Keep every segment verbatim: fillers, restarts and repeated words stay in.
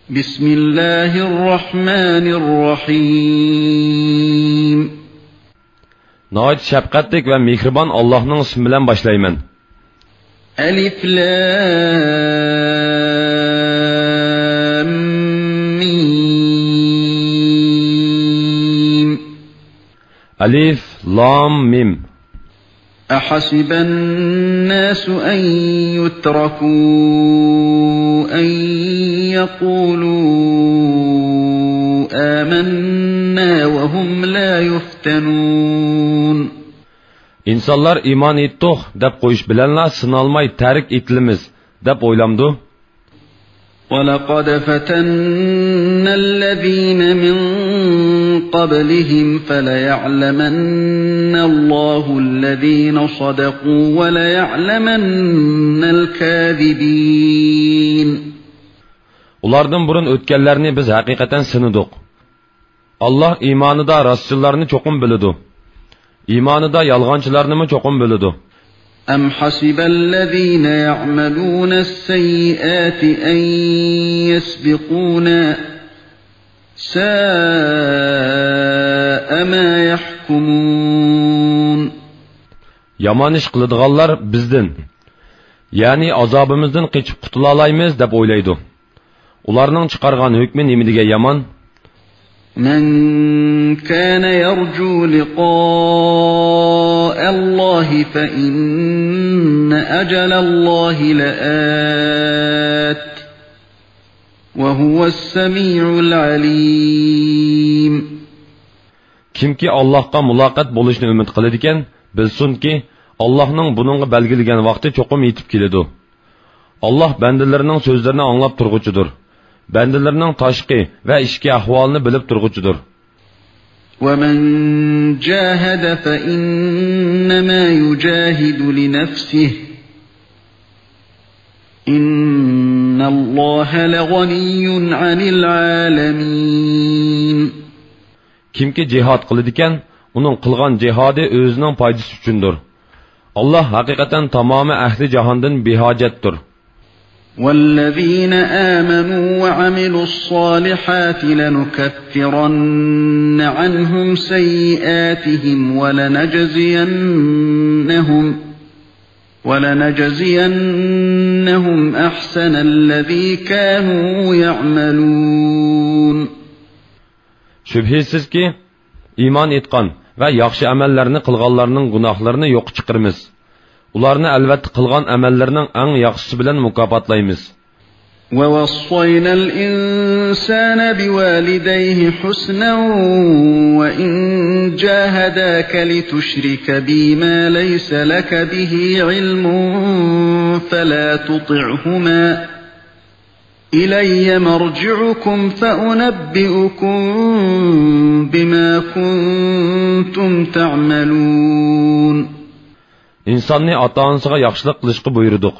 بسم الله الرحمن الرحيم. ناھايىتى شەپقەتلىك ۋە مېھرىبان ئاللاھنىڭ ئىسمى بىلەن باشلايمەن. ألف لام ميم. ئەلىف، لام، مىم. أحسب الناس أن يتركوا أن يقولوا آمنا وهم لا يفتنون. ئىنسانلار ئىمان ئېيتتۇق دەپ قويۇش بىلەنلا سىنالماي تەرك ئېتىلىمىز دەپ ئويلامدۇ؟ ولقد فتنا الذين من قبلهم فليعلمن الله الذين صدقوا وليعلمن الكاذبين. ئۇلاردىن بۇرۇن ئۆتكەنلەرنى بىز ھەقىقەتەن سىنىدۇق. ئاللاھ ئىمانىدا راستچىللارنى چوقۇم بىلىدۇ. ئىمانىدا يالغانچىلارنىمۇ چوقۇم بىلىدۇ. أم حسب الذين يعملون السيئات أن يسبقونا ساء ما يحكمون. يامان ئىش قىلىدىغانلار بىزدىن، يەنى ئازابىمىزدىن قېچىپ قۇتۇلالايمىز دەپ ئويلايدۇ. ئۇلارنىڭ چىقارغان ھۆكمى نېمە دېگەن يامان! من كان يرجو لقاء الله فإن أجل الله لآت وهو السميع العليم. كىمكى ئاللاھقا مۇلاقات بولۇشنى ئۈمىد قىلىدىكەن، بىلسۇنكى، ئاللاھنىڭ بۇنىڭغا بەلگىلىگەن ۋاقتى چوقۇم يېتىپ كېلىدۇ. ئاللاھ بەندىلىرىنىڭ سۆزلىرىنى ئاڭلاپ تۇرغۇچىدۇر. بەندىلىرىنىڭ تاشقى ۋە ئىچكى ئەھۋالىنى بىلىپ تۇرغۇچىدۇر. ومن جاهد فإنما يجاهد لنفسه إن الله لغني عن العالمين. كىمكى جىھاد قىلىدىكەن، ئۇنىڭ قىلغان جىھادى ئۆزىنىڭ پايدىسى ئۈچۈندۇر. ئاللاھ ھەقىقەتەن تامامى ئەھلى جاھاندىن بىھاجەتتۇر. والذين آمنوا وعملوا الصالحات لنكفرن عنهم سيئاتهم ولنجزينهم ولنجزينهم أحسن الذي كانوا يعملون. شۈبھىسىزكى، ئىمان ئېيتقان ۋە ياخشى ئەمەللەرنى قىلغانلارنىڭ گۇناھلىرىنى يوققا چىقىرىمىز. ئۇلارنى ئەلۋەتتە قىلغان ئەمەللىرىنىڭ ئەڭ ياخشىسى بىلەن مۇكاپاتلايمىز. ووصينا الإنسان بوالديه حسنا وإن جاهداك لتشرك بي ما ليس لك به علم فلا تطعهما إلي مرجعكم فأنبئكم بما كنتم تعملون. ئىنساننى ئاتا-ئانىسىغا ياخشىلىق قىلىشقا بۇيرۇدۇق.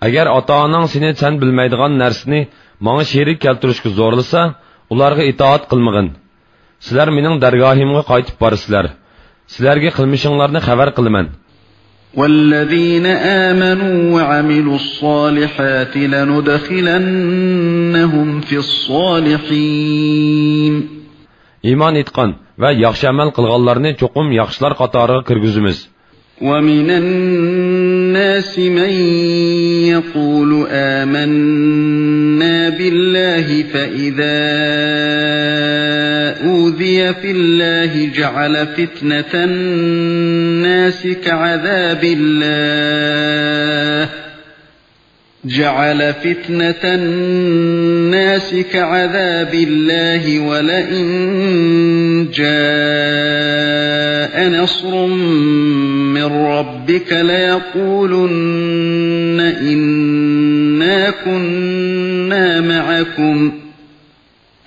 ئەگەر ئاتا-ئاناڭ سېنى سەن بىلمەيدىغان نەرسىنى ماڭا شېرىك كەلتۈرۈشكە زورلىسا، ئۇلارغا ئىتائەت قىلمىغىن. سىلەر مېنىڭ دەرگاھىمغا قايتىپ بارىسىلەر. سىلەرگە قىلمىشىڭلارنى خەۋەر قىلىمەن. والذين آمنوا وعملوا الصالحات لندخلنهم في الصالحين. ئىمان ئېيتقان ۋە ياخشى ئەمەل قىلغانلارنى چوقۇم ياخشىلار قاتارىغا كىرگۈزىمىز. ومن الناس من يقول آمنا بالله فإذا أوذي في الله جعل فتنة الناس كعذاب الله جعل فتنة الناس كعذاب الله ولئن جاء نصر من ربك ليقولن إنا كنا معكم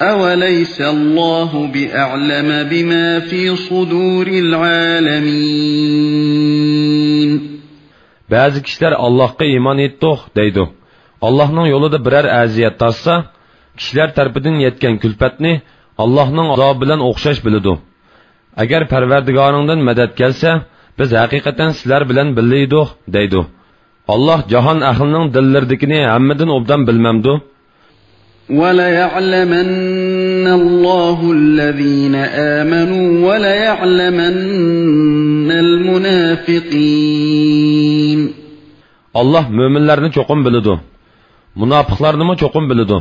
أوليس الله بأعلم بما في صدور العالمين. بەزى كىشىلەر ئاللاھقا ئىمان ئېيتتۇق دەيدۇ. ئاللاھنىڭ يولىدا بىرەر ئەزىيەت تارتسا، كىشىلەر تەرىپىدىن يەتكەن كۈلپەتنى ئاللاھنىڭ ئازابى بىلەن ئوخشاش بىلىدۇ. ئەگەر پەرۋەردىگارىڭدىن مەدەت كەلسە، بىز ھەقىقەتەن سىلەر بىلەن بىللە ئىدۇق دەيدۇ. ئاللاھ جاھان ئەھلىنىڭ دىللىرىدىكىنى ھەممىدىن ئوبدان بىلمەمدۇ؟ وَلَيَعْلَمَنَّ اللَّهُ الَّذِينَ آمَنُوا وَلَيَعْلَمَنَّ الْمُنَافِقِينَ. ئاللاھ مۆمىنلەرنى چوقۇم بىلىدۇ، مۇناپىقلارنىمۇ چوقۇم بىلىدۇ.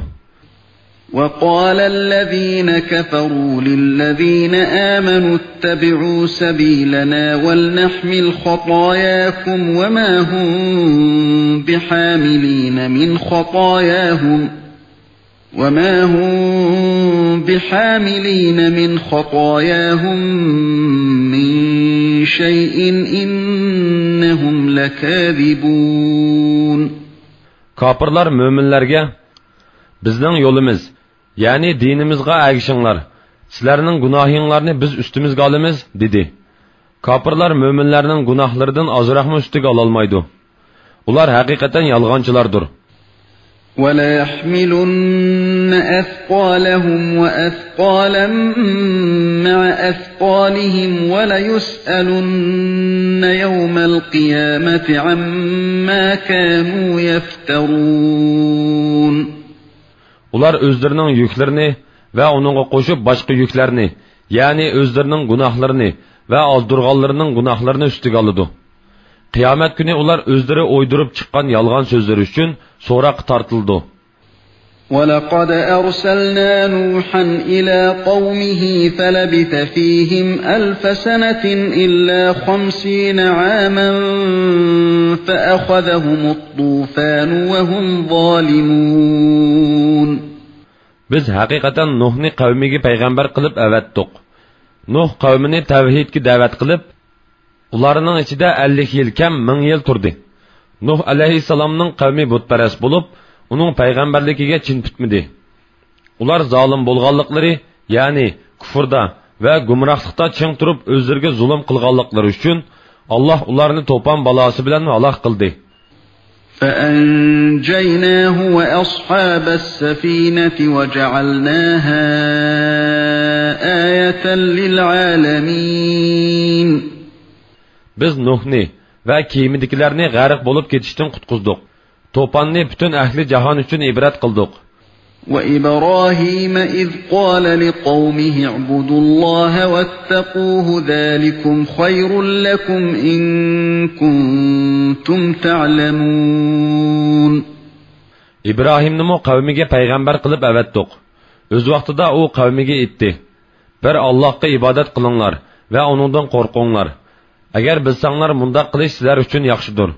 وَقَالَ الَّذِينَ كَفَرُوا لِلَّذِينَ آمَنُوا اتَّبِعُوا سَبِيلَنَا وَلْنَحْمِلْ خَطَايَاكُمْ وَمَا هُمْ بِحَامِلِينَ مِنْ خَطَايَاهُمْ وَمَا هُمْ بِحَامِلِينَ مِنْ خَطَايَاهُمْ مِنْ شَيْءٍ إِنَّهُمْ لَكَاذِبُونَ. كاپىرلار مۆمىنلەرگە، بىزنىڭ يولىمىز، يەنى دىنىمىزغا ئەگىشىڭلار، سىلەرنىڭ گۇناھىڭلارنى بىز ئۈستىمىزگە ئالىمىز، دېدى. كاپىرلار مۆمىنلەرنىڭ گۇناھلىرىدىن ئازراقمۇ ئۈستىگە ئالالمايدۇ. ئۇلار ھەقىقەتەن يالغانچىلاردۇر. وَلَيَحْمِلُنَّ أَثْقَالَهُمْ وَأَثْقَالًا مَعَ أَثْقَالِهِمْ وَلَيُسْأَلُنَّ يَوْمَ الْقِيَامَةِ عَمَّا كَانُوا يَفْتَرُونَ. ئۇلار ئۆزلىرىنىڭ يۈكلىرىنى ۋە ئۇنىڭغا قوشۇپ باشقا يۈكلەرنى، يەنى ئۆزلىرىنىڭ گۇناھلىرىنى ۋە ئازدۇرغانلىرىنىڭ گۇناھلىرىنى ئۈستىگە ئالىدۇ. قىيامەت كۈنى ئۇلار ئۆزلىرى ئويدۇرۇپ چىققان يالغان سۆزلىرى ئۈچۈن سوراققا تارتىلىدۇ. وَلَقَدْ أَرْسَلْنَا نُوحًا إِلَىٰ قَوْمِهِ فَلَبِثَ فِيهِمْ أَلْفَ سَنَةٍ إِلَّا خَمْسِينَ عَامًا فَأَخَذَهُمُ الطُّوفَانُ وَهُمْ ظَالِمُونَ. بىز ھەقىقەتەن نۇھنى قەۋمىگە پەيغەمبەر قىلىپ ئەۋەتتۇق. نۇھ قەۋمىنى تەۋھىدكە دەۋەت قىلىپ، ئۇلارنىڭ ئىچىدە ئەللىك يىل كەم مىڭ يىل تۇردى. نۇھ ئەلەيھىسسالامنىڭ قەۋمى بۇتپەرەس بولۇپ، ئۇنىڭ پەيغەمبەرلىكىگە چىن پۈتمىدى. ئۇلار زالىم بولغانلىقلىرى، يەنى كۇفردا ۋە گۇمراھلىقتا چىڭ تۇرۇپ ئۆزلىرىگە زۇلۇم قىلغانلىقلىرى ئۈچۈن، ئاللاھ ئۇلارنى توپان بالاسى بىلەن ھالاك قىلدى. فَأَنْجَيْنَاهُ وَأَصْحَابَ السَّفِينَةِ وَجَعَلْنَاهَا آيَةً لِلْعَالَمِينَ. بىز نۇھنى ۋە كېمىدىكىلەرنى غەرق بولۇپ كېتىشتىن قۇتقۇزدۇق. توپاننى پۈتۈن ئەھلى جاھان ئۈچۈن ئىبرەت قىلدۇق. وَإِبْرَاهِيمَ إِذْ قَالَ لِقَوْمِهِ اعْبُدُوا اللَّهَ وَاتَّقُوهُ ذَٰلِكُمْ خَيْرٌ لَكُمْ إِن كُنتُمْ تَعْلَمُونَ. ئىبراھىمنىمۇ قەۋمىگە پەيغەمبەر قىلىپ ئەۋەتتۇق. ئۆز ۋاقتىدا ئۇ قەۋمىگە ئېيتتى: بىر ئاللاھقا ئىبادەت قىلىڭلار ۋە ئۇنىڭدىن قورقۇڭلار. ئەگەر بىلسەڭلار، مۇنداق قىلىش سىلەر ئۈچۈن ياخشىدۇر.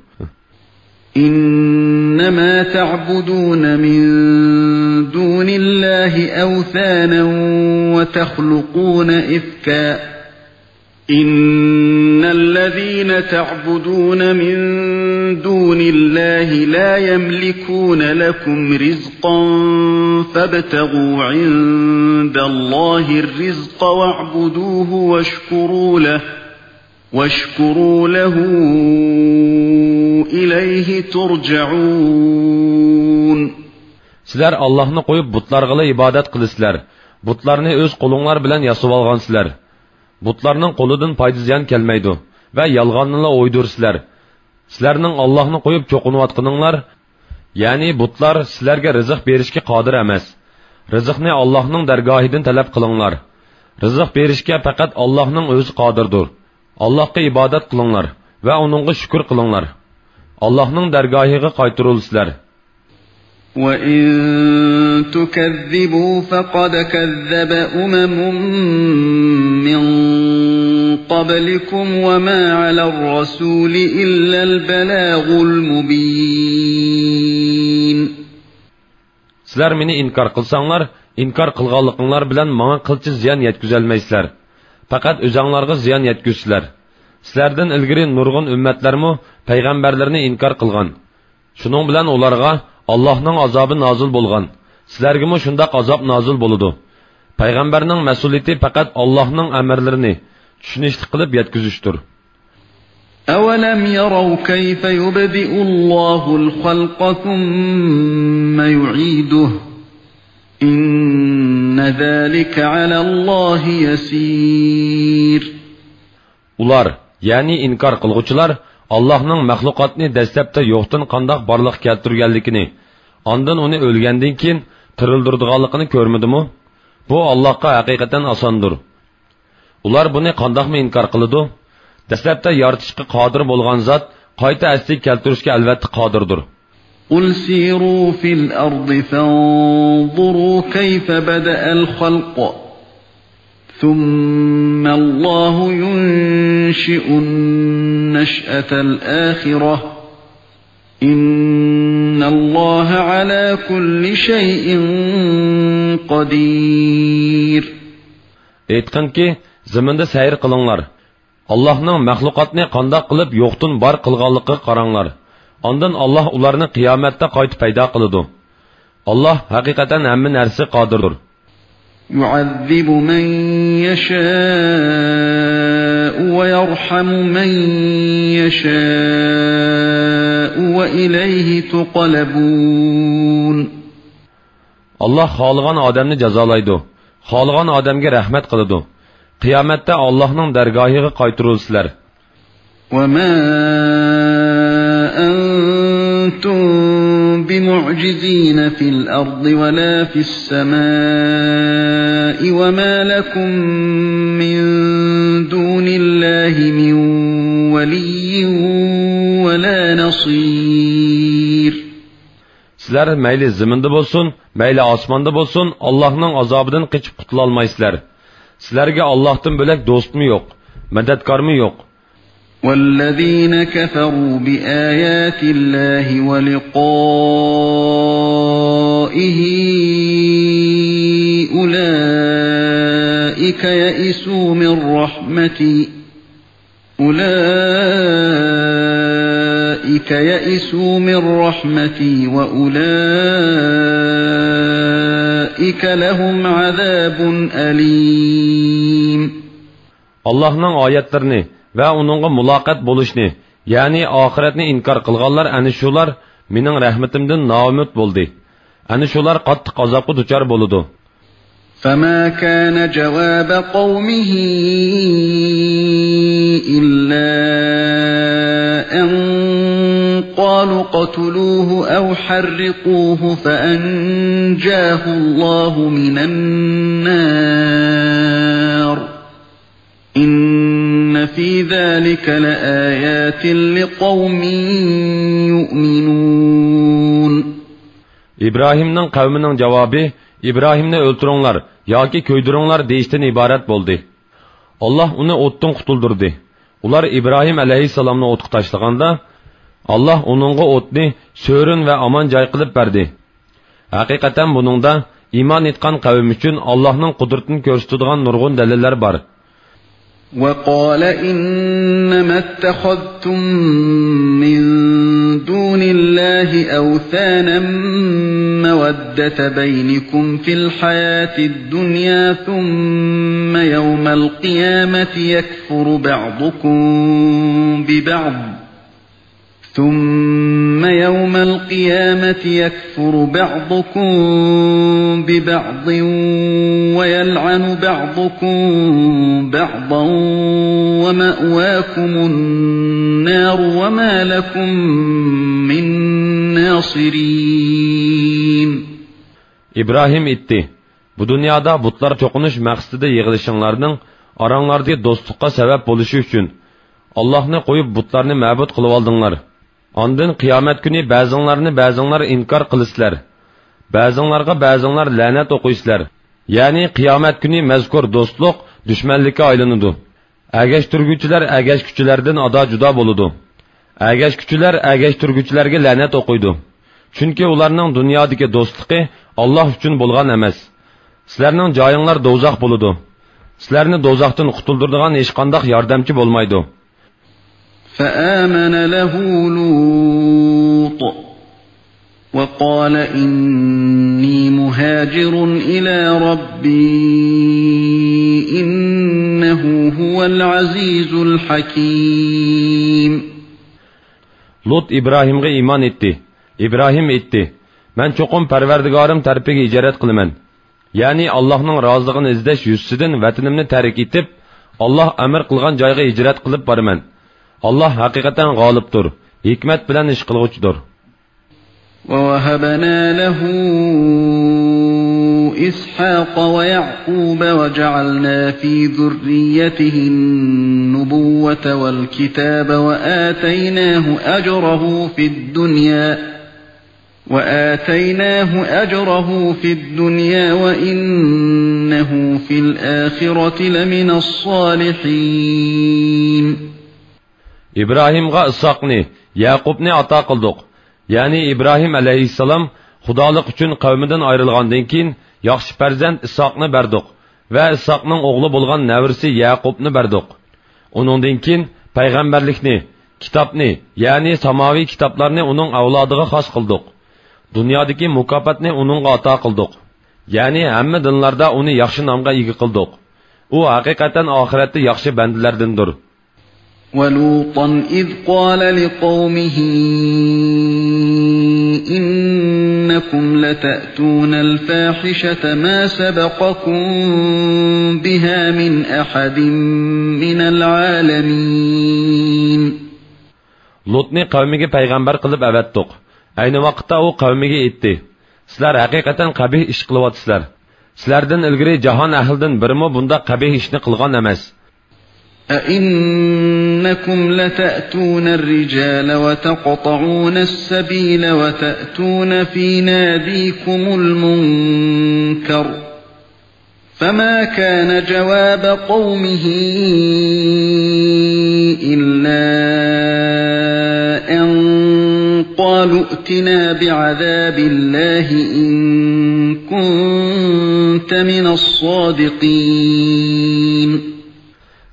إِنَّمَا تَعْبُدُونَ مِن دُونِ اللَّهِ أَوْثَانًا وَتَخْلُقُونَ إِفْكًا إِنَّ الَّذِينَ تَعْبُدُونَ مِن دُونِ اللَّهِ لَا يَمْلِكُونَ لَكُمْ رِزْقًا فَابْتَغُوا عِندَ اللَّهِ الرِّزْقَ وَاعْبُدُوهُ وَاشْكُرُوا لَهُ، وَاشْكُرُوا لَهُ إِلَيْهِ تُرْجَعُونَ. سىلەر ئاللاھنى قويۇپ بۇتلارغىلا ئىبادەت قىلىسىلەر. بۇتلارنى ئۆز قولۇڭلار بىلەن ياسىۋالغانسىلەر. بۇتلارنىڭ قولىدىن پايدا-زىيان كەلمەيدۇ ۋە يالغاننىلا ئويدۇرىسىلەر. سىلەرنىڭ ئاللاھنى قويۇپ چوقۇنۇۋاتقىنىڭلار، يەنى بۇتلار، سىلەرگە رىزىق بېرىشكە قادىر ئەمەس. رىزىقنى ئاللاھنىڭ دەرگاھىدىن تەلەپ قىلىڭلار. رىزىق بېرىشكە پەقەت ئاللاھنىڭ ئۆزى قادىردۇر. ئاللاھقا ئىبادەت قىلىڭلار ۋە ئۇنىڭغا شۈكۈر قىلىڭلار. ئاللاھنىڭ دەرگاھىغا قايتۇرۇلىسىلەر. وَإِن تُكَذِّبُوا فَقَدْ كَذَّبَ أُمَمٌ مِّن قَبْلِكُمْ وَمَا عَلَى الرَّسُولِ إِلَّا الْبَلَاغُ الْمُبِينُ. سىلەر مېنى ئىنكار قىلساڭلار، ئىنكار قىلغانلىقىڭلار بىلەن ماڭا قىلچە زىيان يەتكۈزەلمەيسىلەر. پەقەت ئۆزەڭلارغا زىيان يەتكۈزىسىلەر. سىلەردىن ئىلگىرى نۇرغۇن ئۈممەتلەرمۇ پەيغەمبەرلىرىنى ئىنكار قىلغان. شۇنىڭ بىلەن ئۇلارغا ئاللاھنىڭ ئازابى نازىل بولغان. سىلەرگىمۇ شۇنداق ئازاب نازىل بولىدۇ. پەيغەمبەرنىڭ مەسئۇلىيىتى پەقەت ئاللاھنىڭ ئەمىرلىرىنى چۈشىنىشلىك قىلىپ يەتكۈزۈشتۇر. أَوَلَمْ يَرَوْا كَيْفَ يُبْدِئُ اللَّهُ الْخَلْقَ ثُمَّ يُعِيدُهُ إِنَّ ذَلِكَ عَلَى اللَّهِ يَسِيرٌ. ئۇلار، يەنى ئىنكار قىلغۇچىلار، ئاللاھنىڭ مەخلۇقاتنى دەسلەپتە يوقتىن قانداق بارلىققا كەلتۈرگەنلىكىنى، ئاندىن ئۇنى ئۆلگەندىن كېيىن تىرىلدۈرىدىغانلىقىنى كۆرمىدىمۇ؟ بۇ ئاللاھقا ھەقىقەتەن ئاساندۇر. ئۇلار بۇنى قانداقمۇ ئىنكار قىلىدۇ؟ دەسلەپتە يارىتىشقا قادىر بولغان زات قايتا ئەسلىگە كەلتۈرۈشكە ئەلۋەتتە قادىردۇر. قل سيروا في الأرض فانظروا كيف بدأ الخلق ثم الله ينشئ النشأة الآخرة إن الله على كل شيء قدير. ئېيتقىنكى، زېمىندا سەير قىلىڭلار. ئاللاھنىڭ مەخلۇقاتنى قانداق قىلىپ يوقتىن بار قىلغانلىقىغا قاراڭلار. ئاندىن ئاللاھ ئۇلارنى قىيامەتتە قايتا پەيدا قىلىدۇ. ئاللاھ ھەقىقەتەن ھەممە نەرسىگە قادىردۇر. يعذب من يشاء ويرحم من يشاء وإليه تقلبون. ئاللاھ خالىغان ئادەمنى جازالايدۇ، خالىغان ئادەمگە رەھمەت قىلىدۇ. قىيامەتتە ئاللاھنىڭ دەرگاھىغا قايتۇرۇلىسىلەر. وما أنتم بمعجزين في الأرض ولا في السماء وما لكم من دون الله من ولي ولا نصير. سىلەر مەيلى زېمىندا بولسۇن، مەيلى ئاسماندا بولسۇن، ئاللاھنىڭ ئازابىدىن قېچىپ قۇتۇلالمايسىلەر. سىلەرگە ئاللاھتىن بۆلەك دوستمۇ يوق، مەدەتكارمۇ يوق. والذين كفروا بآيات الله ولقائه أولئك يئسوا من رحمتي أولئك يئسوا من رحمتي وأولئك لهم عذاب أليم. ئاللاھنىڭ ئايەتلىرىنى ۋە ئۇنىڭغا مۇلاقات بولۇشنى، يەنى ئاخىرەتنى ئىنكار قىلغانلار ئەنە شۇلار مېنىڭ رەھمىتىمدىن نائۈمىد بولدى. ئەنە شۇلار قاتتىق ئازابقا دۇچار بولىدۇ. فما كان جواب قومه إلا أن قالوا اقتلوه أو حرقوه فأنجاه الله من النار إن في ذلك لآيات لقوم يؤمنون. ئىبراھىمنىڭ قەۋمىنىڭ جاۋابى، ئىبراھىمنى ئۆلتۈرۈڭلار ياكى كۆيدۈرۈڭلار دېيىشتىن ئىبارەت بولدى. ئاللاھ ئۇنى ئوتتىن قۇتۇلدۇردى. ئۇلار ئىبراھىم ئەلەيھىسسالامنى ئوتقا تاشلىغاندا، ئاللاھ ئۇنىڭغا ئوتنى سۆرۈن ۋە ئامان جاي قىلىپ بەردى. ھەقىقەتەن بۇنىڭدا ئىمان ئېيتقان قەۋم ئۈچۈن ئاللاھنىڭ قۇدرىتىنى كۆرسىتىدىغان نۇرغۇن دەلىللەر بار. وقال إنما اتخذتم من دون الله أوثانا مودة بينكم في الحياة الدنيا ثم يوم القيامة يكفر بعضكم ببعض ثم يوم القيامة يكفر بعضكم ببعض ويلعن بعضكم بعضا ومأواكم النار وما لكم من ناصرين. ئىبراھىم ئېيتتى، بۇ دۇنيادا بۇتلار چوقۇنۇش مەقسىتىدە يىغىلىشىڭلارنىڭ ئاراڭلاردىكى دوستلۇققا سەۋەب بولۇشى ئۈچۈن، ئاللاھنى قويۇپ بۇتلارنى مەبۇد قىلىۋالدىڭلار. ئاندىن قىيامەت كۈنى بەزىڭلارنى بەزىڭلار ئىنكار قىلىسىلەر. بەزىڭلارغا بەزىڭلار لەنەت ئوقۇيسىلەر. يەنى قىيامەت كۈنى مەزكۇر دوستلۇق دۈشمەنلىككە ئايلىنىدۇ. ئەگەشتۈرگۈچىلەر ئەگەشكۈچىلەردىن ئادا جۇدا بولىدۇ. ئەگەشكۈچىلەر ئەگەشتۈرگۈچىلەرگە لەنەت ئوقۇيدۇ. چۈنكى ئۇلارنىڭ دۇنيادىكى دوستلۇقى ئاللاھ ئۈچۈن بولغان ئەمەس. سىلەرنىڭ جايىڭلار دوزاخ بولىدۇ. سىلەرنى دوزاختىن قۇتۇلدۇرىدىغان ھېچقانداق ياردەمچى بولمايدۇ. فآمن له لوط وقال إني مهاجر إلى ربي إنه هو العزيز الحكيم. لوط ئىبراھىمغا ئىمان ئېيتتى. ئىبراھىم ئېيتتى، مەن چوقۇم پەرۋەردىگارىم تەرىپىگە ھىجرەت قىلىمەن. يەنى ئاللاھنىڭ رازىلىقىنى ئىزدەش يۈزىسىدىن ۋەتىنىمنى تەرك ئېتىپ، ئاللاھ ئەمر قىلغان جايغا ھىجرەت قىلىپ بارىمەن. ئاللاھ ھەقىقەتەن غالىبتۇر، ھېكمەت بىلەن ئىش قىلغۇچىدۇر. ووهبنا له إسحاق ويعقوب وجعلنا في ذريته النبوة والكتاب وآتيناه أجره في الدنيا وآتيناه أجره في الدنيا وإنه في الآخرة لمن الصالحين. ئىبراھىمغا ئىسھاقنى، يەقۇبنى ئاتا قىلدۇق. يەنى ئىبراھىم ئەلەيھىسسالام خۇدالىق ئۈچۈن قەۋمىدىن ئايرىلغاندىن كېيىن ياخشى پەرزەنت ئىسھاقنى بەردۇق ۋە ئىسھاقنىڭ ئوغلى بولغان نەۋرىسى يەقۇبنى بەردۇق. ئۇنىڭدىن كېيىن پەيغەمبەرلىكنى، كىتابنى، يەنى ساماۋىي كىتابلارنى ئۇنىڭ ئەۋلادىغا خاس قىلدۇق. دۇنيادىكى مۇكاپاتنى ئۇنىڭغا ئاتا قىلدۇق. يەنى ھەممە دىنلاردا ئۇنى ياخشى نامغا ئىگە قىلدۇق. ئۇ ھەقىقەتەن ئاخىرەتتە ياخشى بەندىلەردىندۇر. ولوطا إذ قال لقومه إنكم لتأتون الفاحشة ما سبقكم بها من أحد من العالمين. لۇتنى قەۋمىگە پەيغەمبەر قىلىپ ئەۋەتتۇق. ئەينى ۋاقىتتا ئۇ قەۋمىگە ئېيتتى، سىلەر ھەقىقەتەن قەبىھ ئىش قىلىۋاتىسىلەر. سىلەردىن ئىلگىرى جاھان ئەھلىدىن بىرىمۇ بۇنداق قەبىھ ئىشنى قىلغان ئەمەس. أئنكم لتأتون الرجال وتقطعون السبيل وتأتون في ناديكم المنكر فما كان جواب قومه إلا أن قالوا ائتنا بعذاب الله إن كنت من الصادقين.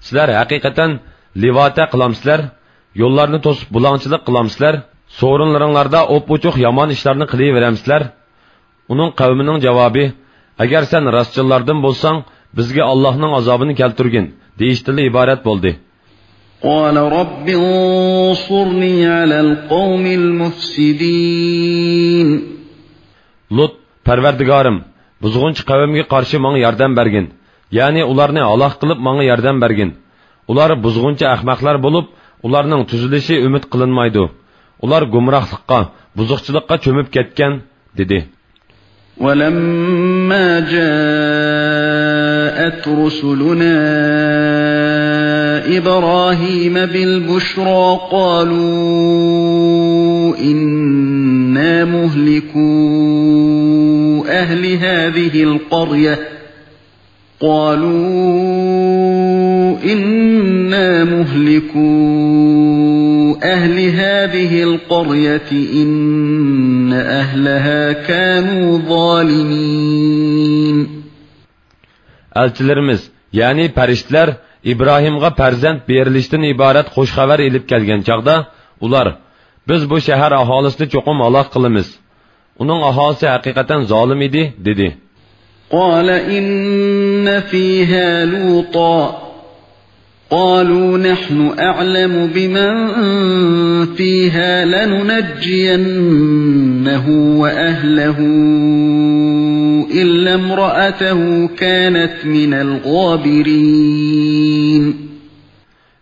سىلەر ھەقىقەتەن لىۋاتە قىلامسىلەر؟ يوللارنى توسۇپ بۇلاڭچىلىق قىلامسىلەر؟ سورۇنلىرىڭلاردا ئوپئوچۇق يامان ئىشلارنى قىلىۋېرەمسىلەر؟ ئۇنىڭ قەۋمىنىڭ جاۋابى، ئەگەر سەن راستچىللاردىن بولساڭ، بىزگە ئاللاھنىڭ ئازابىنى كەلتۈرگىن، دېيىشتىنلا ئىبارەت بولدى. قال رب انصرني على القوم المفسدين. لۇت، پەرۋەردىگارىم، بۇزغۇنچى قەۋمگە قارشى ماڭا ياردەم بەرگىن، يەنى ئۇلارنى ھالاك قىلىپ ماڭا ياردەم بەرگىن. ئۇلار بۇزغۇنچى ئەخمەقلەر بولۇپ، ئۇلارنىڭ تۈزىلىشى ئۈمىد قىلىنمايدۇ. ئۇلار گۇمراھلىققا، بۇزۇقچىلىققا چۆمۈپ كەتكەن، دېدى. ولما جاءت رسلنا إبراهيم بالبشرى قالوا إنا مهلكو أهل هذه القرية قالوا إنا مهلكو أهل هذه القرية إن أهلها كانوا ظالمين. ئەلچىلىرىمىز، يەنى پەرىشتىلەر ئىبراھىمغا پەرزەنت بېرىلىشتىن ئىبارەت خۇش خەۋەر ئېلىپ كەلگەن چاغدا، ئۇلار، بىز بۇ شەھەر ئاھالىسىنى چوقۇم ھالاك قىلىمىز. ئۇنىڭ ئاھالىسى ھەقىقەتەن زالىم ئىدى، دېدى. قال إن فيها لوطا قالوا نحن أعلم بمن فيها لننجينه وأهله إلا امرأته كانت من الغابرين.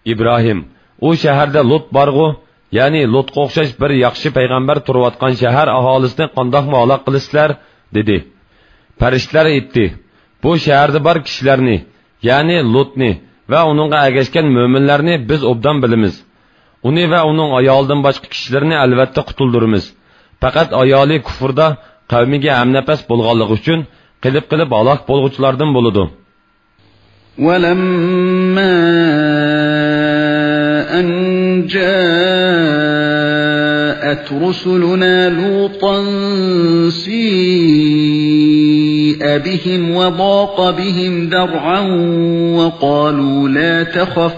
ئىبراھىم، ئۇ شەھەردە لۇت بارغۇ؟ يەنى لۇتقا ئوخشاش بىر ياخشى پەيغەمبەر تۇرۇۋاتقان شەھەر ئاھالىسىنى قانداقمۇ ھالاك قىلىسىلەر؟ دېدى. پەرىشتىلەر ئېيتتى، بۇ شەھەردە بار كىشىلەرنى، يەنى لۇتنى ۋە ئۇنىڭغا ئەگەشكەن مۆمىنلەرنى بىز ئوبدان بىلىمىز. ئۇنى ۋە ئۇنىڭ ئايالىدىن باشقا كىشىلىرىنى ئەلۋەتتە قۇتۇلدۇرىمىز. پەقەت ئايالى كۇفردا قەۋمىگە ھەمنەپەس بولغانلىقى ئۈچۈن قېلىپ-قېلىپ ھالاك بولغۇچىلاردىن بولىدۇ. ولما أن جاءت رسلنا لوطا سيء بهم وضاق بهم ذرعا وقالوا لا تخف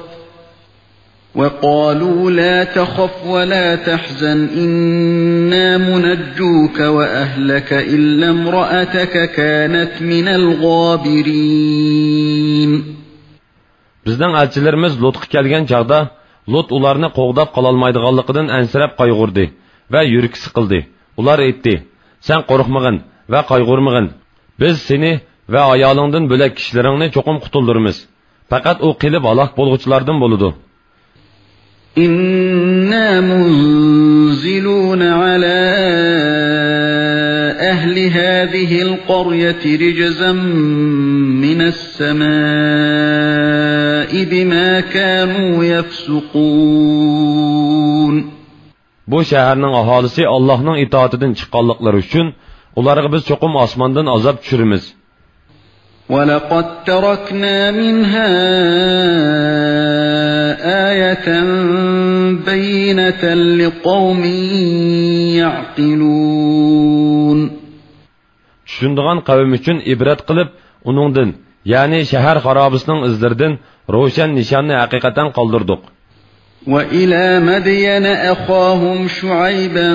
وقالوا لا تخف ولا تحزن إنا منجوك وأهلك إلا امرأتك كانت من الغابرين. بىزنىڭ ئەلچىلىرىمىز لۇتقا كەلگەن چاغدا، لۇت ئۇلارنى قوغداپ قالالمايدىغانلىقىدىن ئەنسىرەپ قايغۇردى ۋە يۈرىكى سىقىلدى. ئۇلار ئېيتتى، سەن قورقمىغىن ۋە قايغۇرمىغىن. بىز سېنى ۋە ئايالىڭدىن بۆلەك كىشىلىرىڭنى چوقۇم قۇتۇلدۇرىمىز. پەقەت ئۇ قېلىپ ھالاك بولغۇچىلاردىن بولىدۇ. إنا منزلون على أهل هذه القرية رجزا من السماء بما كانوا يفسقون. بۇ شەھەرنىڭ ئاھالىسى ئاللاھنىڭ ئىتائىتىدىن چىققانلىقلىرى ئۈچۈن، ئۇلارغا بىز چوقۇم ئاسماندىن ئازاب چۈشۈرىمىز. ولقد تركنا منها آية بينة لقوم يعقلون. چۈشىنىدىغان قەۋم ئۈچۈن ئىبرەت قىلىپ، ئۇنىڭدىن، يەنى شەھەر خارابىسىنىڭ ئىزلىرىدىن روشەن نىشاننى ھەقىقەتەن قالدۇردۇق. وإلى مدين أخاهم شعيبا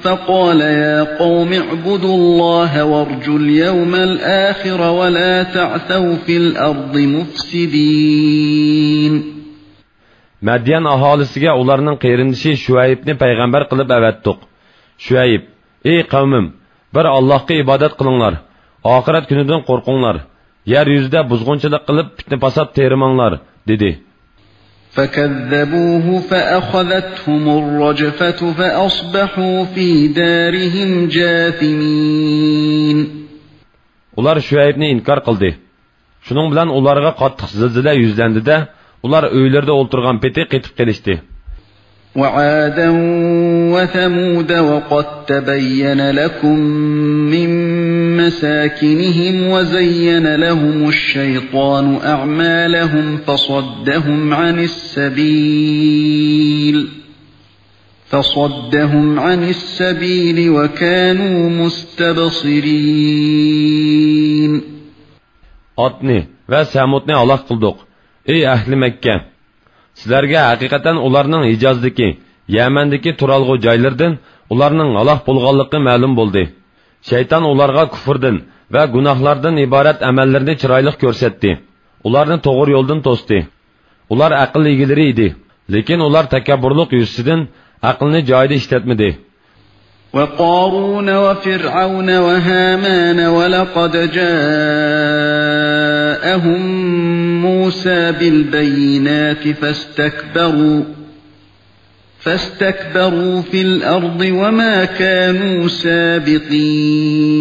فقال يا قوم اعبدوا الله وارجوا اليوم الآخر ولا تعثوا في الأرض مفسدين. مەديەن ئاھالىسىگە ئۇلارنىڭ قېرىندىشى شۇئەيبنى پەيغەمبەر قىلىپ ئەۋەتتۇق. شۇئەيب، ئەي قەۋمىم، بىر ئاللاھقا ئىبادەت قىلىڭلار، ئاخىرەت كۈنىدىن قورقۇڭلار، يەر يۈزىدە بۇزغۇنچىلىق قىلىپ پىتنە-پاسات تېرىماڭلار، دېدى. فكذبوه فأخذتهم الرجفة فأصبحوا في دارهم جاثمين. ئۇلار شۇئەيبنى ئىنكار قىلدى. شۇنىڭ بىلەن ئۇلارغا قاتتىق زىلزىلە يۈزلەندى-دە، ئۇلار ئۆيلىرىدە ئولتۇرغان پېتى قېتىپ قېلىشتى. وعادا وثمود وقد تبين لكم من مساكنهم وزين لهم الشيطان أعمالهم فصدهم عن السبيل، فصدهم عن السبيل وكانوا مستبصرين. ئادنى ۋە سەمۇدنى ھالاك قىلدۇق. ئەي ئەھلى مەككە! سىلەرگە ھەقىقەتەن ئۇلارنىڭ ھىجازدىكى، يەمەندىكى تۇرالغۇ جايلىرىدىن ئۇلارنىڭ ھالاك بولغانلىقى مەلۇم بولدى. شەيتان ئۇلارغا كۇفۇردىن ۋە گۇناھلاردىن ئىبارەت ئەمەللىرىنى چىرايلىق كۆرسەتتى. ئۇلارنى توغرا يولدىن توستى. ئۇلار ئەقىل ئىگىلىرى ئىدى. لېكىن ئۇلار تەكەببۇرلۇق يۈزىسىدىن ئەقلىنى جايىدا ئىشلەتمىدى. وقارون وفرعون وهامان ولقد جاءهم موسى بالبينات فاستكبروا، فاستكبروا في الأرض وما كانوا سابقين.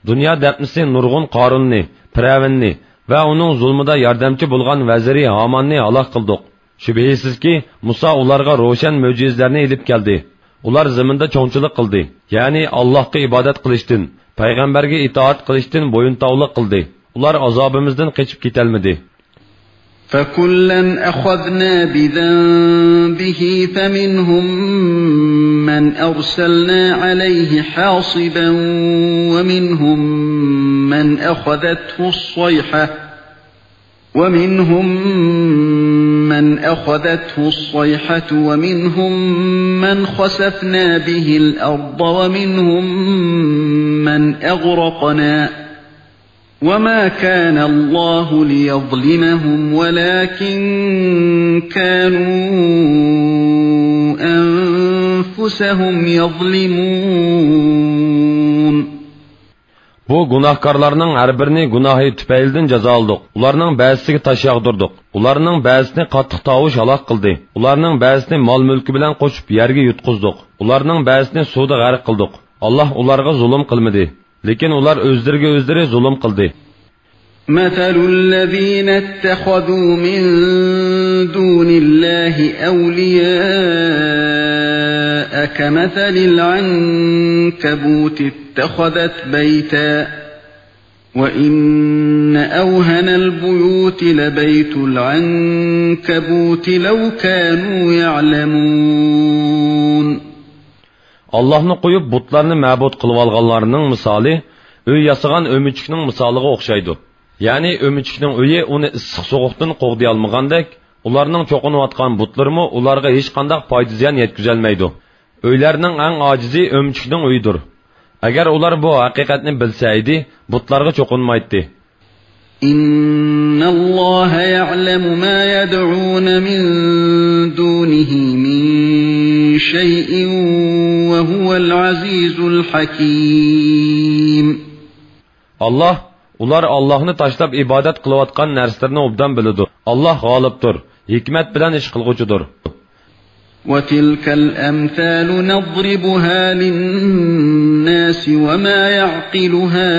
دۇنيا دەپنىسى نۇرغۇن قارۇننى، پىرئەۋننى ۋە ئۇنىڭ زۇلمىدا ياردەمچى بولغان ۋەزىرى ھاماننى ھالاك قىلدۇق. شۈبھىسىزكى، مۇسا ئۇلارغا روشەن مۆجىزىلەرنى ئېلىپ كەلدى. ئۇلار زېمىندا چوڭچىلىق قىلدى، يەنى ئاللاھقا ئىبادەت قىلىشتىن، پەيغەمبەرگە ئىتائەت قىلىشتىن بويۇنتاۋلىق قىلدى. ئۇلار ئازابىمىزدىن قېچىپ كېتەلمىدى. فكلا أخذنا بذنبه فمنهم من أرسلنا عليه حاصبا ومنهم من أخذته الصيحة، ومنهم من أخذته الصيحة ومنهم من خسفنا به الأرض ومنهم من أغرقنا وما كان الله ليظلمهم ولكن كانوا أنفسهم يظلمون. بۇ گۇناھكارلارنىڭ ھەر بىرىنى گۇناھى تۈپەيلىدىن جازالىدۇق. ئۇلارنىڭ بەزىسىگە تاش ياغدۇردۇق. ئۇلارنىڭ بەزىسىنى قاتتىق تاۋۇش ھالاك قىلدى. ئۇلارنىڭ بەزىسىنى مال-مۈلكى بىلەن قوشۇپ يەرگە يۇتقۇزدۇق. ئۇلارنىڭ بەزىسىنى سۇدا غەرق قىلدۇق. ئاللاھ ئۇلارغا زۇلۇم قىلمىدى. لېكىن ئۇلار ئۆزلىرىگە ئۆزلىرى زۇلۇم قىلدى. مثل الذين اتخذوا من دون الله أولياء كمثل العنكبوت اتخذت بيتا وإن أوهن البيوت لبيت العنكبوت لو كانوا يعلمون. ئاللاھنى قويۇپ، بۇتلارنى مەبۇد قىلىۋالغانلارنىڭ مىسالى ئۆي ياسىغان ئۆمۈچۈكنىڭ مىسالىغا ئوخشايدۇ. يەنى ئۆمۈچۈكنىڭ ئۆيى ئۇنى ئىسسىق-سوغۇقتىن قوغدىيالمىغاندەك، ئۇلارنىڭ چوقۇنۇۋاتقان بۇتلىرىمۇ ئۇلارغا ھېچقانداق پايدا-زىيان يەتكۈزەلمەيدۇ. ئۆيلەرنىڭ ئەڭ ئاجىزى ئۆمۈچۈكنىڭ ئۆيىدۇر. ئەگەر ئۇلار بۇ ھەقىقەتنى بىلسە ئىدى، بۇتلارغا چوقۇنمايتتى. إن الله يعلم ما يدعون من دونه من شيء وهو العزيز الحكيم. ئاللاھ ئۇلار ئاللاھنى تاشلاپ ئىبادەت قىلىۋاتقان نەرسىلىرىنى ئوبدان بىلىدۇ. ئاللاھ غالىبتۇر، ھېكمەت بىلەن ئىش قىلغۇچىدۇر. وتلك الأمثال نضربها للناس وما يعقلها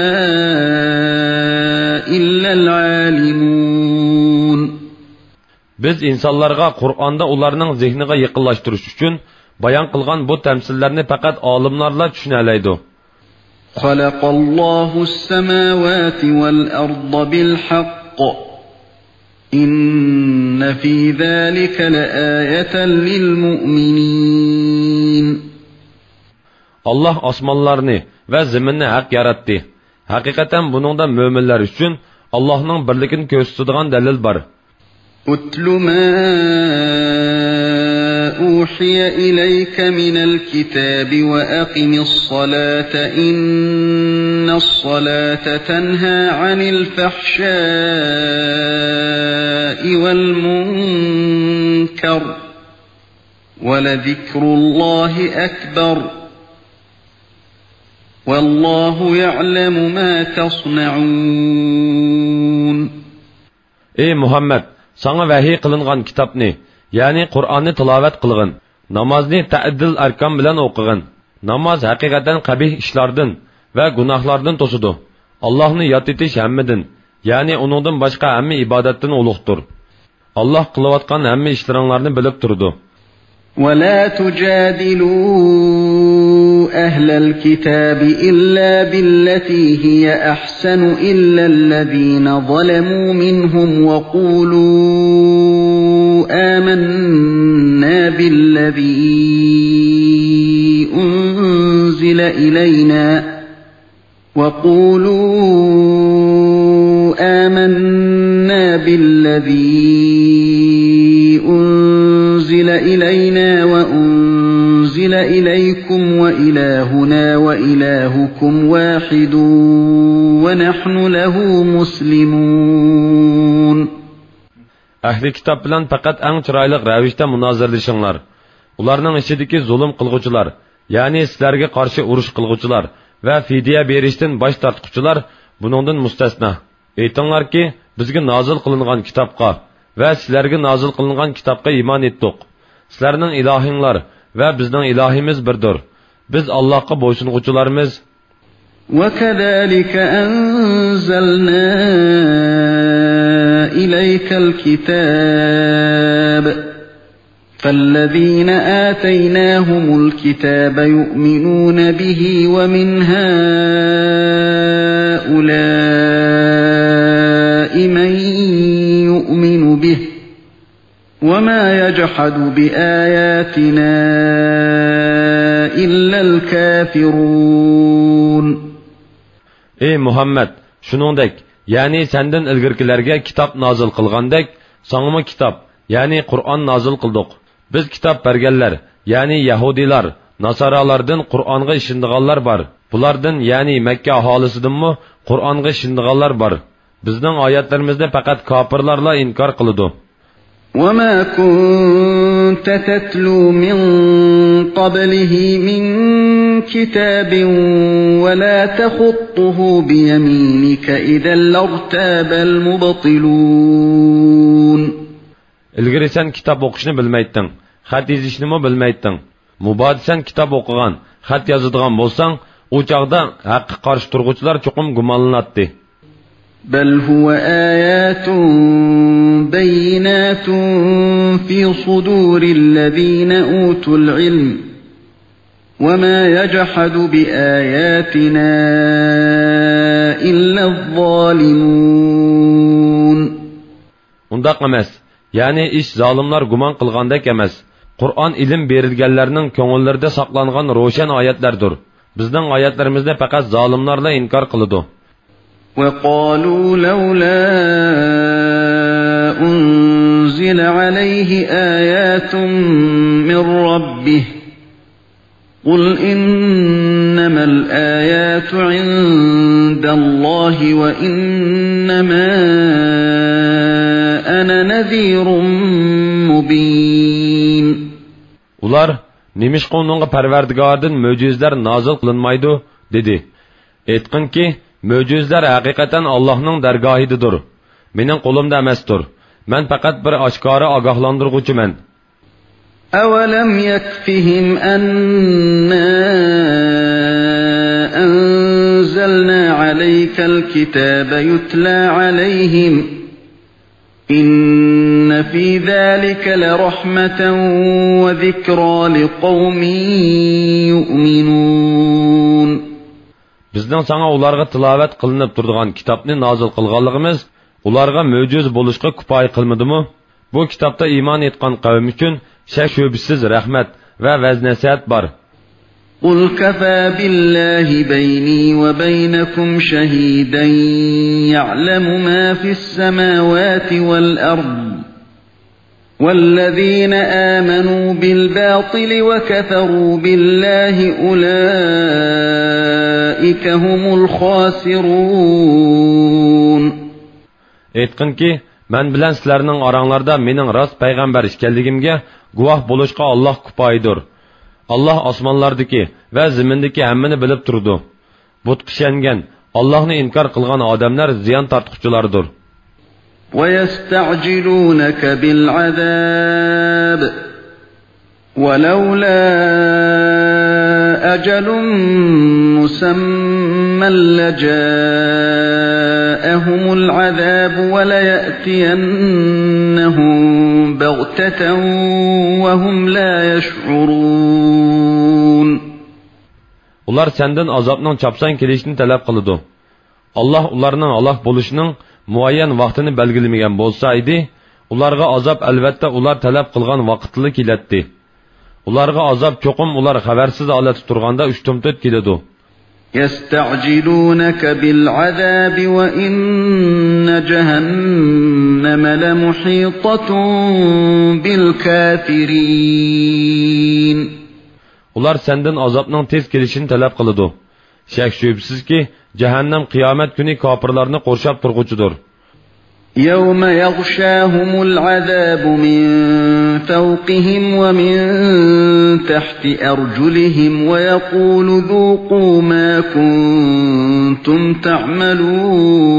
إلا العالمون. بىز ئىنسانلارغا قۇرئاندا ئۇلارنىڭ زېھنىغا يېقىنلاشتۇرۇش ئۈچۈن بايان قىلغان بۇ تەمسىللەرنى پەقەت ئالىملارلا چۈشىنەلەيدۇ. خلق الله السماوات والأرض بالحق إن في ذلك لآية للمؤمنين. ئاللاھ ئاسمانلارنى ۋە زېمىننى ھەق ياراتتى. ھەقىقەتەن بۇنىڭدا مۆمىنلەر ئۈچۈن ئاللاھنىڭ بىرلىكىنى كۆرسىتىدىغان دەلىل بار. اتل ما أوحي إليك من الكتاب وأقم الصلاة إن الصلاة تنهى عن الفحشاء والمنكر ولذكر الله أكبر والله يعلم ما تصنعون. ئەي مۇھەممەد، ساڭا ۋەھىي قىلىنغان كىتابنى، يەنى قۇرئاننى تىلاۋەت قىلغىن. نامازنى تەئدىل ئەركان بىلەن ئوقۇغىن. ناماز ھەقىقەتەن قەبىھ ئىشلاردىن ۋە گۇناھلاردىن توسىدۇ. ئاللاھنى ياد ئېتىش ھەممىدىن، يەنى ئۇنىڭدىن باشقا ھەممە ئىبادەتتىن ئۇلۇغدۇر. ئاللاھ قىلىۋاتقان ھەممە ئىشلىرىڭلارنى بىلىپ تۇرىدۇ. ولا تجادلوا أهل الكتاب إلا بالتي هي أحسن إلا الذين ظلموا منهم وقولوا آمنا بالذي أنزل إلينا وقولوا آمنا بالذي أنزل إلينا وأنزل إليكم وإلهنا وإلهكم واحد ونحن له مسلمون. ئەھلى كىتاب بىلەن پەقەت ئەڭ چىرايلىق رەۋىشتە مۇنازىرىلىشىڭلار. ئۇلارنىڭ ئىچىدىكى زۇلۇم قىلغۇچىلار، يەنى سىلەرگە قارشى ئۇرۇش قىلغۇچىلار ۋە فىدىيە بېرىشتىن باش تارتقۇچىلار بۇنىڭدىن مۇستەسنا. ئېيتىڭلاركى، بىزگە نازىل قىلىنغان كىتابقا ۋە سىلەرگە نازىل قىلىنغان كىتابقا ئىمان ئېيتتۇق. سىلەرنىڭ ئىلاھىڭلار ۋە بىزنىڭ ئىلاھىمىز بىردۇر. بىز ئاللاھقا بويسۇنغۇچىلارمىز. وكذلك أنزلنا إليك الكتاب فالذين آتيناهم الكتاب يؤمنون به ومن هؤلاء من يؤمن به وما يجحد بآياتنا إلا الكافرون. ئەي مۇھەممەد، شۇنىڭدەك، يەنى سەندىن ئىلگىرىكىلەرگە كىتاب نازىل قىلغاندەك، ساڭىمۇ كىتاب، يەنى قۇرئان نازىل قىلدۇق. بىز كىتاب بەرگەنلەر، يەنى يەھۇدىيلار، ناسارالاردىن قۇرئانغا ئىشىنىدىغانلار بار. بۇلاردىن، يەنى مەككە ئاھالىسىدىنمۇ قۇرئانغا ئىشىنىدىغانلار بار. بىزنىڭ ئايەتلىرىمىزنى پەقەت كاپىرلارلا ئىنكار قىلىدۇ. وما كنت تتلو من قبله من كتاب ولا تخطه بيمينك إذا لارتاب المبطلون. ئىلگىرى سەن كىتاب ئوقۇشنى بىلمەيتتىڭ، خەت يېزىشنىمۇ بىلمەيتتىڭ. مۇبادا سەن كىتاب ئوقۇغان، خەت يازىدىغان بولساڭ، ئۇ چاغدا ھەققە قارشى تۇرغۇچىلار چوقۇم گۇمانلىناتتى. بل هو آيات بينات في صدور الذين أوتوا العلم وما يجحد بآياتنا إلا الظالمون. ئۇنداق ئەمەس. يەنى ئىش زالىملار گۇمان قىلغاندەك ئەمەس. قۇرئان ئىلىم بېرىلگەنلەرنىڭ كۆڭۈللىرىدە ساقلانغان روشەن ئايەتلەردۇر. بىزنىڭ ئايەتلىرىمىزنى پەقەت زالىملارلا ئىنكار قىلىدۇ. وقالوا لولا أنزل عليه آيات من ربه قل إنما الآيات عند الله وإنما أنا نذير مبين. ئۇلار، نېمىشقا ئۇنىڭغا پەرۋەردىگارىدىن مۆجىزىلەر نازىل قىلىنمايدۇ؟ دېدى. ئېيتقىنكى، مۆجىزىلەر ھەقىقەتەن ئاللاھنىڭ دەرگاھىدىدۇر. مېنىڭ قولۇمدا ئەمەستۇر. مەن پەقەت بىر ئاشكارا ئاگاھلاندۇرغۇچىمەن. أولم يكفهم أنا أنزلنا عليك الكتاب يتلى عليهم إن في ذلك لرحمة وذكرى لقوم يؤمنون. بىزنىڭ ساڭا ئۇلارغا تىلاۋەت قىلىنىپ تۇرىدىغان كىتابنى نازىل قىلغانلىقىمىز ئۇلارغا مۆجىزە بولۇشقا كۇپايە قىلمىدىمۇ؟ بۇ كىتابتا ئىمان ئېيتقان قەۋم ئۈچۈن شەك-شۈبھىسىز رەھمەت ۋە ۋەز-نەسىھەت بار. قل كفى بالله بيني وبينكم شهيدا يعلم ما في السماوات والأرض والذين آمنوا بالباطل وكفروا بالله أولئك هم الخاسرون. ئېيتقىنكى، مەن بىلەن سىلەرنىڭ ئاراڭلاردا مېنىڭ راست پەيغەمبەر ئىكەنلىكىمگە گۇۋاھ بولۇشقا ئاللاھ كۇپايىدۇر. ئاللاھ ئاسمانلاردىكى ۋە زېمىندىكى ھەممىنى بىلىپ تۇرىدۇ. بۇتقا ئىشەنگەن، ئاللاھنى ئىنكار قىلغان ئادەملەر زىيان تارتقۇچىلاردۇر. ويستعجلونك بالعذاب ولولا أجل مسمى لجاءهم العذاب وليأتينهم بغتة وهم لا يشعرون. ئۇلار سەندىن ئازابنىڭ چاپسان كېلىشىنى تەلەپ قىلىدۇ. ئاللاھ ئۇلارنىڭ ھالاك بولۇشىنىڭ مۇئەييەن ۋاقتىنى بەلگىلىمىگەن بولسا ئىدى، ئۇلارغا ئازاب ئەلۋەتتە ئۇلار تەلەپ قىلغان ۋاقىتتىلا كېلەتتى. ئۇلارغا ئازاب چوقۇم ئۇلار خەۋەرسىز ھالەتتە تۇرغاندا ئۇشتۇمتۇت كېلىدۇ. يستعجلونك بالعذاب وإن جهنم لمحيطة بالكافرين. ئۇلار سەندىن ئازابنىڭ تېز كېلىشىنى تەلەپ قىلىدۇ. شەك-شۈبھىسىزكى، جەھەننەم قىيامەت كۈنى كاپىرلارنى قورشاپ تۇرغۇچىدۇر. يوم يغشاهم العذاب من فوقهم ومن تحت أرجلهم ويقول ذوقوا ما كنتم تعملون.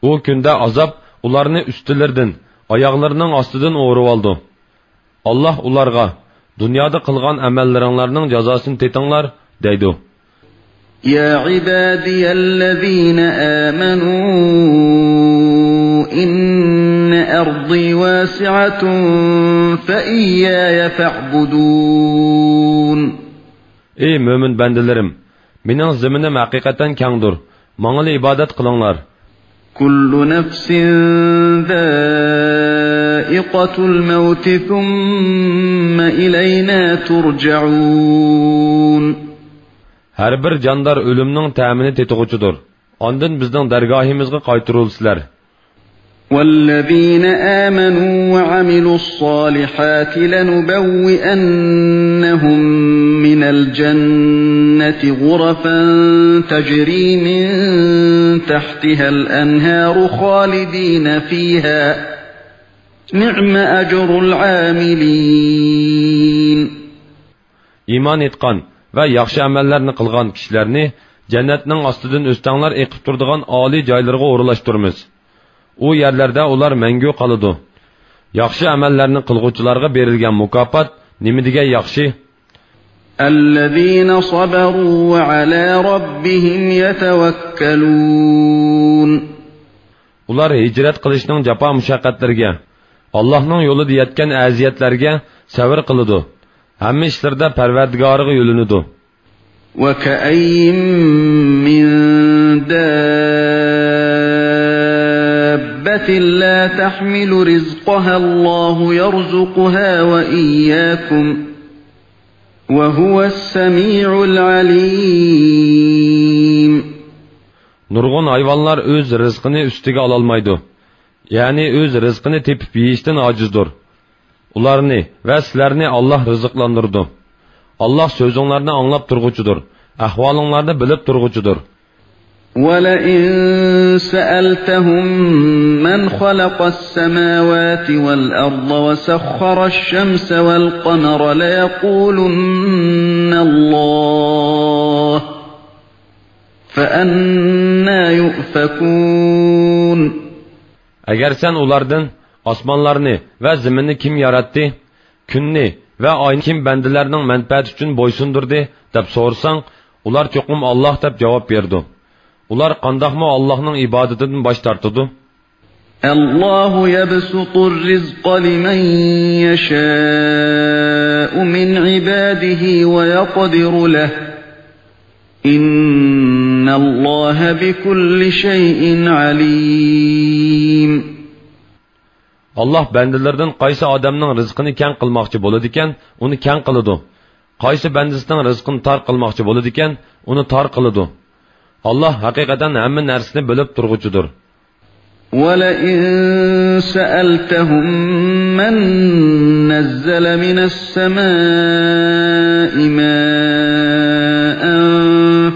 ئۇ كۈندە ئازاب ئۇلارنى ئۈستىلىرىدىن، ئاياغلىرىنىڭ ئاستىدىن ئورىۋالىدۇ. ئاللاھ ئۇلارغا، دۇنيادا قىلغان ئەمەللىرىڭلارنىڭ جازاسىنى تېتىڭلار، دەيدۇ. يا عبادي الذين آمنوا إن أرضي واسعة فإياي فاعبدون. ئەي مۆمىن بەندىلىرىم! مېنىڭ زېمىنىم ھەقىقەتەن كەڭدۇر، ماڭىلا ئىبادەت قىلىڭلار. كل نفس ذائقة الموت ثم إلينا ترجعون. ھەر بىر جاندار ئۆلۈمنىڭ تەمىنى تېتىغۇچىدۇر. ئاندىن بىزنىڭ دەرگاھىمىزغا قايتۇرۇلىسىلەر. والذين آمنوا وعملوا الصالحات لنبوئنهم من الجنة غرفا تجري من تحتها الأنهار خالدين فيها نعم أجر العاملين. ئىمان ئېيتقان ۋە ياخشى ئەمەللەرنى قىلغان كىشىلەرنى جەننەتنىڭ ئاستىدىن ئۆستەڭلەر ئېقىپ تۇرىدىغان ئالىي جايلىرىغا ئورۇنلاشتۇرىمىز. ئۇ يەرلەردە ئۇلار مەڭگۈ قالىدۇ. ياخشى ئەمەللەرنى قىلغۇچىلارغا بېرىلگەن مۇكاپات نېمىدېگەن ياخشى! الذين صبروا وعلى ربهم يتوكلون. ئۇلار ھىجرەت قىلىشنىڭ جاپا-مۇشەققەتلىرىگە، ئاللاھنىڭ يولىدا يەتكەن ئەزىيەتلەرگە سەۋر قىلىدۇ، ھەممە ئىشلىرىدا پەرۋەردىگارىغا يۆلىنىدۇ. وكأين من دابة لا تحمل رزقها الله يرزقها وإياكم وهو السميع العليم. نۇرغۇن ھايۋانلار ئۆز رىزقىنى ئۈستىگە ئالالمايدۇ، يەنى ئۆز رىزقىنى تېپىپ يېيىشتىن ئاجىزدۇر. ئۇلارنى ۋە سىلەرنى ئاللاھ رىزىقلاندۇرىدۇ. ئاللاھ سۆزۈڭلارنى ئاڭلاپ تۇرغۇچىدۇر، ئەھۋالىڭلارنى بىلىپ تۇرغۇچىدۇر. ولئن سألتهم من خلق السماوات والأرض وسخر الشمس والقمر ليقولن الله فأنى يؤفكون. ئەگەر سەن ئۇلاردىن، ئاسمانلارنى ۋە زېمىننى كىم ياراتتى؟ كۈننى ۋە ئاينى كىم بەندىلەرنىڭ مەنپەئەتى ئۈچۈن بويسۇندۇردى؟ دەپ سورىساڭ، ئۇلار چوقۇم ئاللاھ دەپ جاۋاب بېرىدۇ. ئۇلار قانداقمۇ ئاللاھنىڭ ئىبادىتىدىن باش تارتىدۇ؟ الله يبسط الرزق لمن يشاء من عباده ويقدر له، إن الله بكل شيء عليم. ئاللاھ بەندىلىرىدىن قايسى ئادەمنىڭ رىزقىنى كەڭ قىلماقچى بولىدىكەن، ئۇنى كەڭ قىلىدۇ. قايسى بەندىسىنىڭ رىزقىنى تار قىلماقچى بولىدىكەن، ئۇنى تار قىلىدۇ. ئاللاھ ھەقىقەتەن ھەممە نەرسىنى بىلىپ تۇرغۇچىدۇر. ولئن سألتهم من نزل من السماء ماء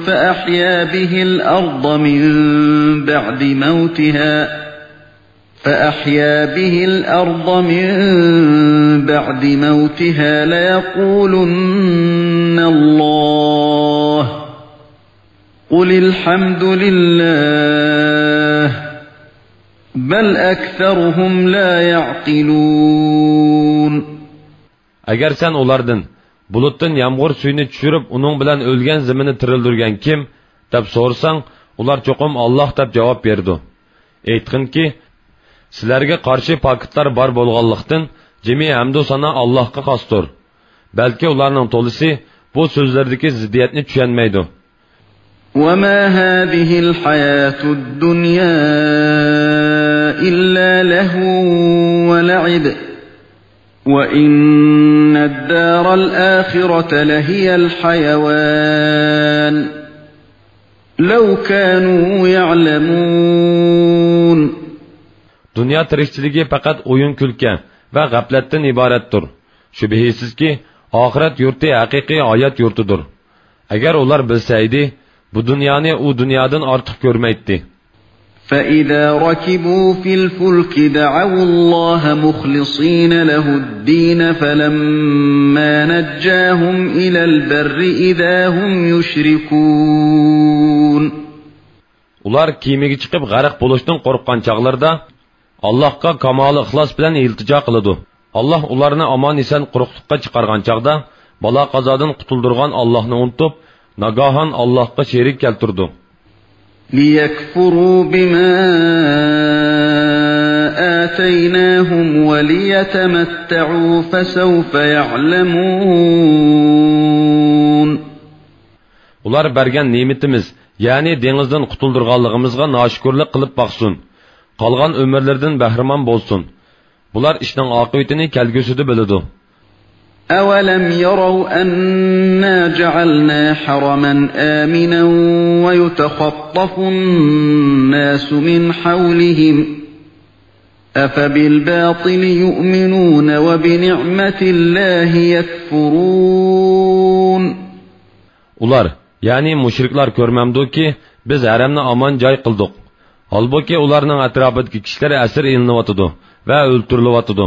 فأحيا به الأرض من بعد موتها، فأحيا به الأرض من بعد موتها ليقولن الله، قل الحمد لله، بل أكثرهم لا يعقلون. ئەگەر سەن ئۇلاردىن، بۇلۇتتىن يامغۇر سۈيىنى چۈشۈرۈپ، ئۇنىڭ بىلەن ئۆلگەن زېمىننى تىرىلدۈرگەن كىم؟ دەپ سورىساڭ، ئۇلار چوقۇم ئاللاھ دەپ جاۋاب بېرىدۇ. ئېيتقىنكى، سىلەرگە قارشى پاكىتلار بار بولغانلىقتىن، جىمى ھەمدۇ سانا ئاللاھقا خاستۇر. بەلكى ئۇلارنىڭ تولىسى بۇ سۆزلىرىدىكى زىددىيەتنى چۈشەنمەيدۇ. وما هذه الحياة الدنيا إلا لهو ولعب، وإن الدار الآخرة لهي الحيوان، لو كانوا يعلمون. دۇنيا تىرىكچىلىكى پەقەت ئويۇن-كۈلكە ۋە غەپلەتتىن ئىبارەتتۇر. شۈبھىسىزكى، ئاخىرەت يۇرتى ھەقىقىي ھايات يۇرتىدۇر. ئەگەر ئۇلار بىلسە ئىدى، بۇ دۇنيانى ئۇ دۇنيادىن ئارتۇق كۆرمەيتتى. فإذا ركبوا في الفلك دعوا الله مخلصين له الدين فلما نجاهم إلى البر إذا هم يشركون. ئۇلار كېمىگە چىقىپ غەرق بولۇشتىن قورققان چاغلىرىدا، ئاللاھقا كامالى ئىخلاس بىلەن ئىلتىجا قىلىدۇ. ئاللاھ ئۇلارنى ئامان-ئېسەن قۇرۇقلۇققا چىقارغان چاغدا، بالا-قازادىن قۇتۇلدۇرغان ئاللاھنى ئۇنتۇپ، ناگاھان ئاللاھقا شېرىك كەلتۈرىدۇ. ليكفروا بما آتيناهم وليتمتعوا فسوف يعلمون. ئۇلار بەرگەن نېمىتىمىز، يەنى دېڭىزدىن قۇتۇلدۇرغانلىقىمىزغا ناشۈكۈرلۈك قىلىپ باقسۇن. قالغان ئۆمۈرلىرىدىن بەھرىمەن بولسۇن. بۇلار ئىشنىڭ ئاقىۋىتىنى كەلگۈسىدە بىلىدۇ. أولم يروا أنا جعلنا حرما آمنا ويتخطف الناس من حولهم أفبالباطل يؤمنون وبنعمة الله يكفرون. ئۇلار، يەنى مۇشرىكلار كۆرمەمدۇكى، بىز ھەرەمنى ئامان جاي قىلدۇق. ھالبۇكى، ئۇلارنىڭ ئەتراپىدىكى كىشىلەر ئەسىر ئېلىنىۋاتىدۇ ۋە ئۆلتۈرۈلۈۋاتىدۇ.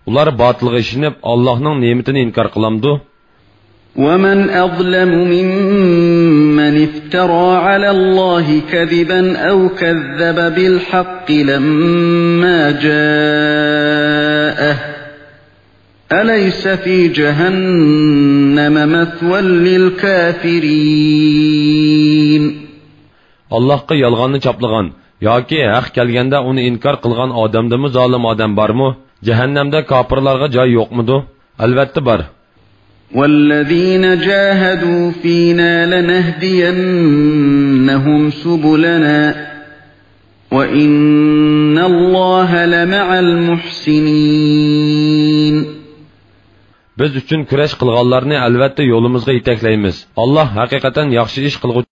ئۇلار باتىلغا ئىشىنىپ، ئاللاھنىڭ نېمىتىنى ئىنكار قىلامدۇ؟ ومن أظلم ممن افترى على الله كذبا أو كذب بالحق لما جاءه أليس في جهنم مثوى للكافرين. ئاللاھقا يالغاننى چاپلىغان ياكى ھەق كەلگەندە ئۇنى ئىنكار قىلغان ئادەمدىنمۇ زالىم ئادەم بارمۇ؟ جەھەننەمدە كاپىرلارغا جاي يوقمىدۇ؟ ئەلۋەتتە بار. والذين جاهدوا فينا لنهدينهم سبلنا وإن الله لمع المحسنين. بىز ئۈچۈن كۈرەش قىلغانلارنى ئەلۋەتتە يولىمىزغا يېتەكلەيمىز. ئاللاھ ھەقىقەتەن ياخشى ئىش قىلغۇچى.